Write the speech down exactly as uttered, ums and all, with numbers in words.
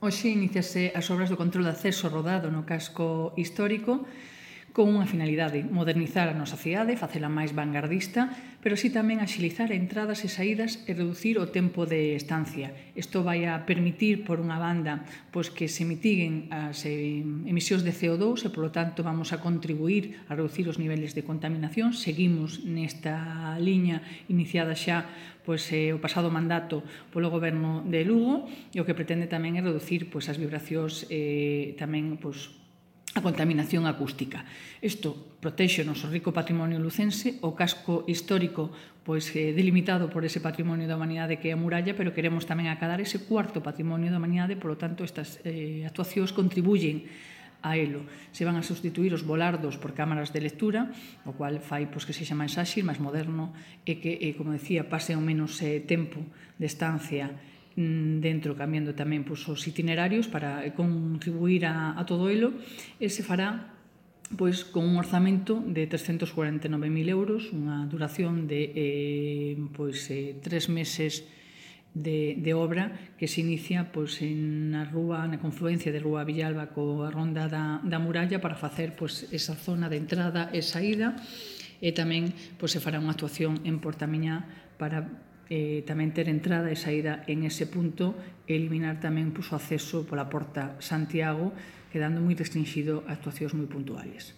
Hoxe iníciase as obras do control de acceso rodado no casco histórico con unha finalidade, modernizar a nosa cidade, facela máis vanguardista, pero así tamén axilizar entradas e saídas e reducir o tempo de estancia. Isto vai a permitir, por unha banda, pois que se mitiguen as emisións de C O dous e, polo tanto, vamos a contribuir a reducir os niveles de contaminación. Seguimos nesta liña iniciada xa pois, eh, o pasado mandato polo Goberno de Lugo, e o que pretende tamén é reducir pois, as vibracións e tamén pois, a contaminación acústica. Isto protexe o noso rico patrimonio lucense, o casco histórico pois, eh, delimitado por ese patrimonio da humanidade que é a muralla, pero queremos tamén acadar ese cuarto patrimonio da humanidade, polo tanto, estas eh, actuacións contribuyen a elo. Se van a sustituir os volardos por cámaras de lectura, o cual fai pois, que sexa máis áxil, máis moderno, e que, eh, como decía, pase o menos eh, tempo de estancia dentro, cambiando tamén pois, os itinerarios para contribuir a, a todo elo, e se fará pois, con un orzamento de trescentos cuarenta e nove mil euros, unha duración de eh, pois, eh, tres meses de, de obra que se inicia pois, en na rúa, na confluencia de Rúa Villalba coa ronda da, da muralla para facer pois, esa zona de entrada e saída, e tamén pois, se fará unha actuación en Portamiñá para Eh, tamén ter entrada e saída en ese punto e eliminar tamén pois, o acceso pola Porta Santiago, quedando moi restringido a actuacións moi puntuales.